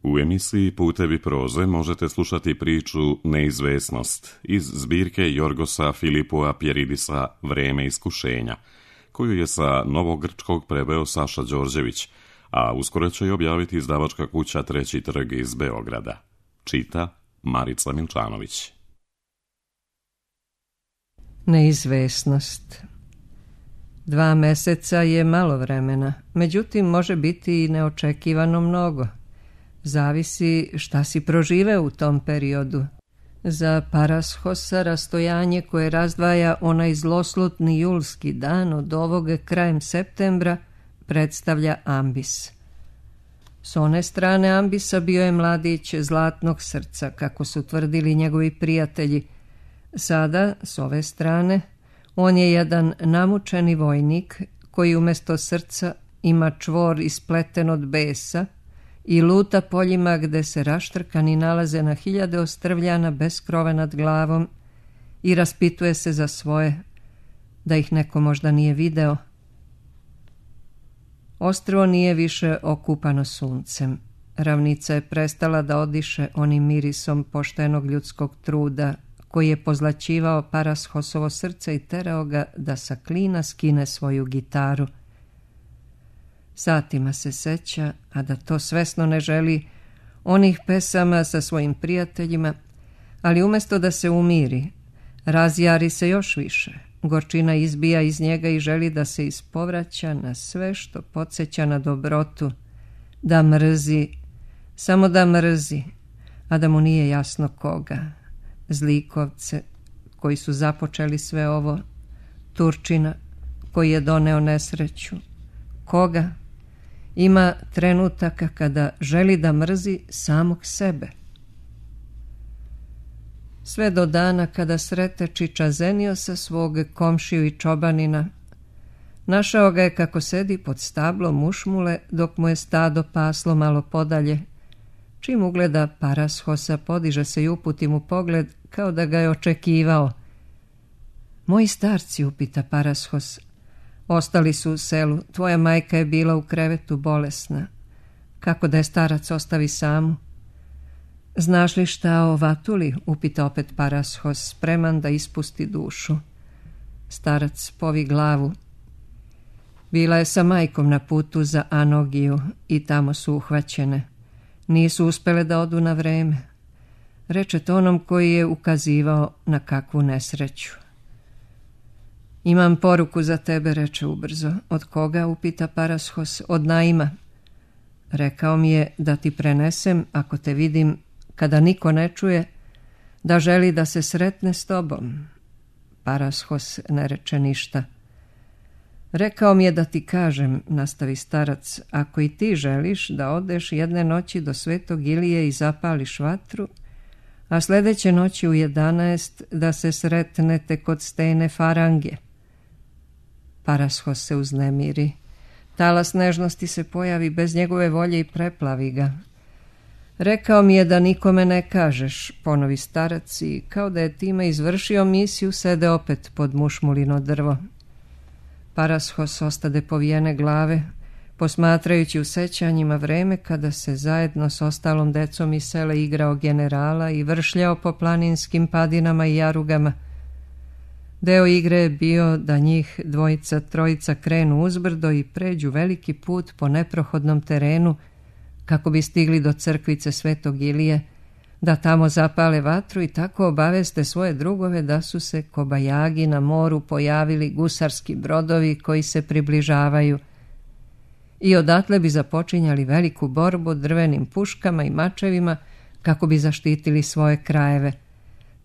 U emisiji Putevi proze možete slušati priču Neizvesnost iz zbirke Jorgosa Filipua Pjeridisa Vreme iskušenja, koju je sa novogrčkog preveo Saša Đorđević, a uskoro će i objaviti izdavačka kuća Treći trg iz Beograda. Čita Marica Milčanović. Neizvesnost. 2 meseca je malo vremena, međutim može biti i neočekivano mnogo. Zavisi šta si proživeo u tom periodu. Za Parashosa rastojanje koje razdvaja onaj zloslutni julski dan od ovog krajem septembra predstavlja ambis. S one strane ambisa bio je mladić zlatnog srca, kako su tvrdili njegovi prijatelji. Sada, s ove strane, on je jedan namučeni vojnik koji umjesto srca ima čvor ispleten od besa i luta poljima gde se raštrkani nalaze na 1000 ostrvljana bez krova nad glavom i raspituje se za svoje, da ih neko možda nije video. Ostrvo nije više okupano suncem. Ravnica je prestala da odiše onim mirisom poštenog ljudskog truda koji je pozlaćivao Parashosovo srce i terao ga da sa klina skine svoju gitaru. Satima se seća, a da to svesno ne želi, onih pesama sa svojim prijateljima, ali umjesto da se umiri, razjari se još više. Gorčina izbija iz njega i želi da se ispovraća na sve što podsjeća na dobrotu, da mrzi, samo da mrzi, a da mu nije jasno koga. Zlikovce koji su započeli sve ovo, Turčina koji je doneo nesreću. Koga? Ima trenutaka kada želi da mrzi samog sebe. Sve do dana kada srete Čiča Zeniosa, svog komšiju i čobanina. Našao ga je kako sedi pod stablom mušmule dok mu je stado paslo malo podalje. Čim ugleda Parashosa, podiže se i uputi mu pogled kao da ga je očekivao. Moji starci, upita Parashos, ostali su u selu, tvoja majka je bila u krevetu bolesna. Kako da je starac ostavi samu? Znaš li šta o Vatuli, upita opet Parashos, spreman da ispusti dušu. Starac povi glavu. Bila je sa majkom na putu za Anogiju i tamo su uhvaćene. Nisu uspele da odu na vreme. Reče to onom koji je ukazivao na kakvu nesreću. Imam poruku za tebe, reče ubrzo. Od koga, upita Parashos. Od Naima. Rekao mi je da ti prenesem, ako te vidim, kada niko ne čuje, da želi da se sretne s tobom. Parashos ne reče ništa. Rekao mi je da ti kažem, nastavi starac, ako i ti želiš da odeš jedne noći do Svetog Ilije i zapališ vatru, a sljedeće noći u 11 da se sretnete kod stene Farange. Parashos se uznemiri. Talas nežnosti se pojavi bez njegove volje i preplavi ga. Rekao mi je da nikome ne kažeš, ponovi starac i kao da je time izvršio misiju sede opet pod mušmulino drvo. Parashos ostade povijene glave, posmatrajući u sećanjima vreme kada se zajedno s ostalom decom iz sela igrao generala i vršljao po planinskim padinama i jarugama. Deo igre je bio da njih 2-3 krenu uzbrdo i pređu veliki put po neprohodnom terenu kako bi stigli do crkvice Svetog Ilije, da tamo zapale vatru i tako obaveste svoje drugove da su se kobajagi na moru pojavili gusarski brodovi koji se približavaju i odatle bi započinjali veliku borbu drvenim puškama i mačevima kako bi zaštitili svoje krajeve.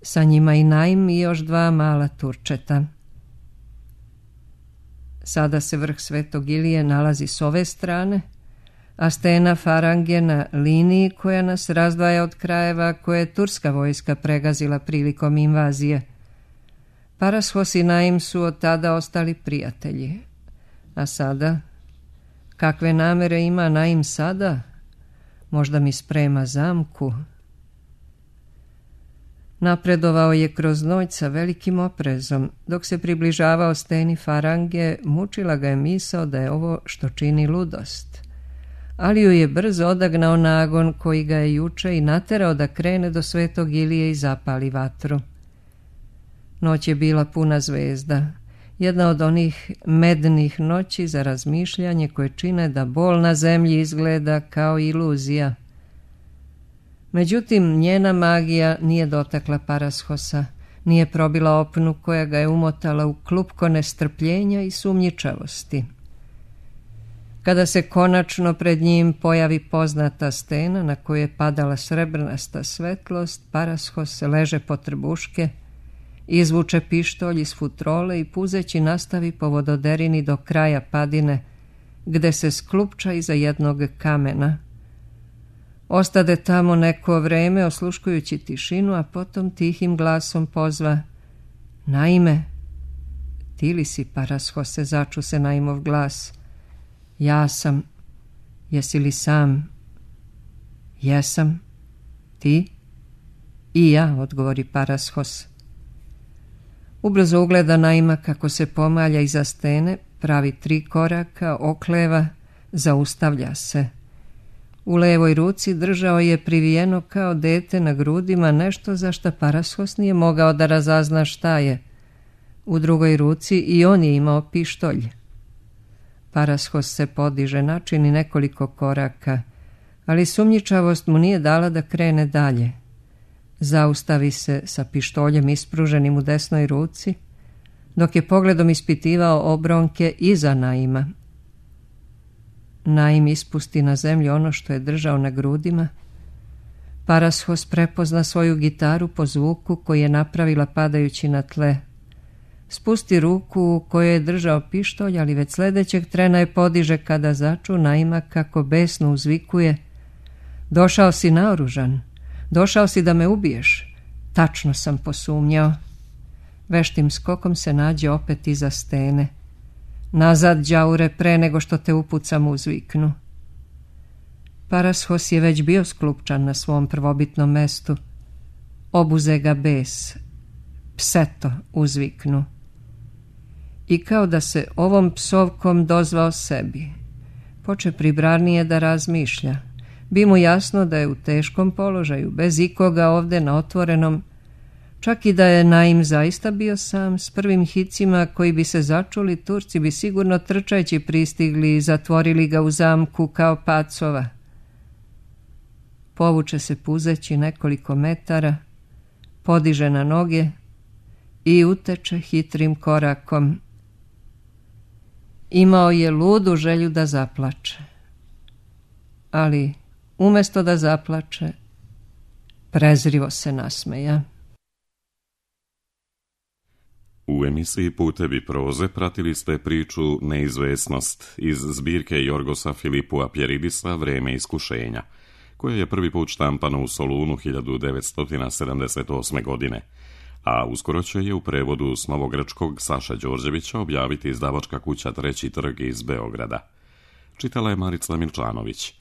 Sa njima i Naim i još 2 mala Turčeta. Sada se vrh Svetog Ilije nalazi s ove strane, a stena Farange na liniji koja nas razdvaja od krajeva koje je turska vojska pregazila prilikom invazije. Parashos i Naim su od tada ostali prijatelji. A sada? Kakve namere ima Naim sada? Možda mi sprema zamku. Napredovao je kroz noć sa velikim oprezom. Dok se približavao steni Farange, mučila ga je misao da je ovo što čini ludost. ali ju je brzo odagnao nagon koji ga je juče i naterao da krene do Svetog Ilije i zapali vatru. Noć je bila puna zvezda, jedna od onih mednih noći za razmišljanje koje čine da bol na zemlji izgleda kao iluzija. Međutim, njena magija nije dotakla Parashosa, nije probila opnu koja ga je umotala u klupko nestrpljenja i sumnjičavosti. Kada se konačno pred njim pojavi poznata stena na koju je padala srebrnasta svetlost, Parashos se leže po trbuške, izvuče pištolj iz futrole i puzeći nastavi po vododerini do kraja padine, gde se sklupča iza jednog kamena. Ostade tamo neko vreme osluškujući tišinu, a potom tihim glasom pozva: "Naime." "Ti li si, Parashose?" začu se Naimov glas. "Ja sam. Jesi li sam?" "Jesam." "Ti?" "I ja," odgovori Parashos. Ubrzo ugleda Naima kako se pomalja iza stene, pravi 3 koraka, okleva, zaustavlja se. U levoj ruci držao je privijeno kao dete na grudima nešto za šta Parashos nije mogao da razazna šta je. U drugoj ruci i on je imao pištolj. Parashos se podiže, načini nekoliko koraka, ali sumnjičavost mu nije dala da krene dalje. Zaustavi se sa pištoljem ispruženim u desnoj ruci, dok je pogledom ispitivao obronke iza Naima. Naim ispusti na zemlju ono što je držao na grudima. Parashos prepozna svoju gitaru po zvuku koji je napravila padajući na tle. Spusti ruku u kojoj je držao pištolj, ali već sljedećeg trena je podiže kada začu Naima kako besno uzvikuje: "Došao si naoružan, došao si da me ubiješ." "Tačno sam posumnjao." Veštim skokom se nađe opet iza stene. "Nazad, đaure, pre nego što te upucam," uzviknu. Parashos je već bio sklupčan na svom prvobitnom mestu. Obuze ga bes. "Pseto," uzviknu. I kao da se ovom psovkom dozvao sebi. Poče pribrarnije da razmišlja. Bi mu jasno da je u teškom položaju, bez ikoga ovde na otvorenom. Čak i da je Naim zaista bio sam, s prvim hicima koji bi se začuli, Turci bi sigurno trčajući pristigli i zatvorili ga u zamku kao pacova. Povuče se puzeći nekoliko metara, podiže na noge i uteče hitrim korakom. Imao je ludu želju da zaplače, ali umesto da zaplače, prezrivo se nasmeja. U emisiji Putevi proze pratili ste priču Neizvesnost iz zbirke Jorgosa Filipua Pjeridisa Vreme iskušenja, koja je prvi put štampana u Solunu 1978. godine, a uskoro će je u prevodu s novogrčkog Saša Đorđevića objaviti izdavačka kuća Treći trg iz Beograda. Čitala je Marica Milčanović.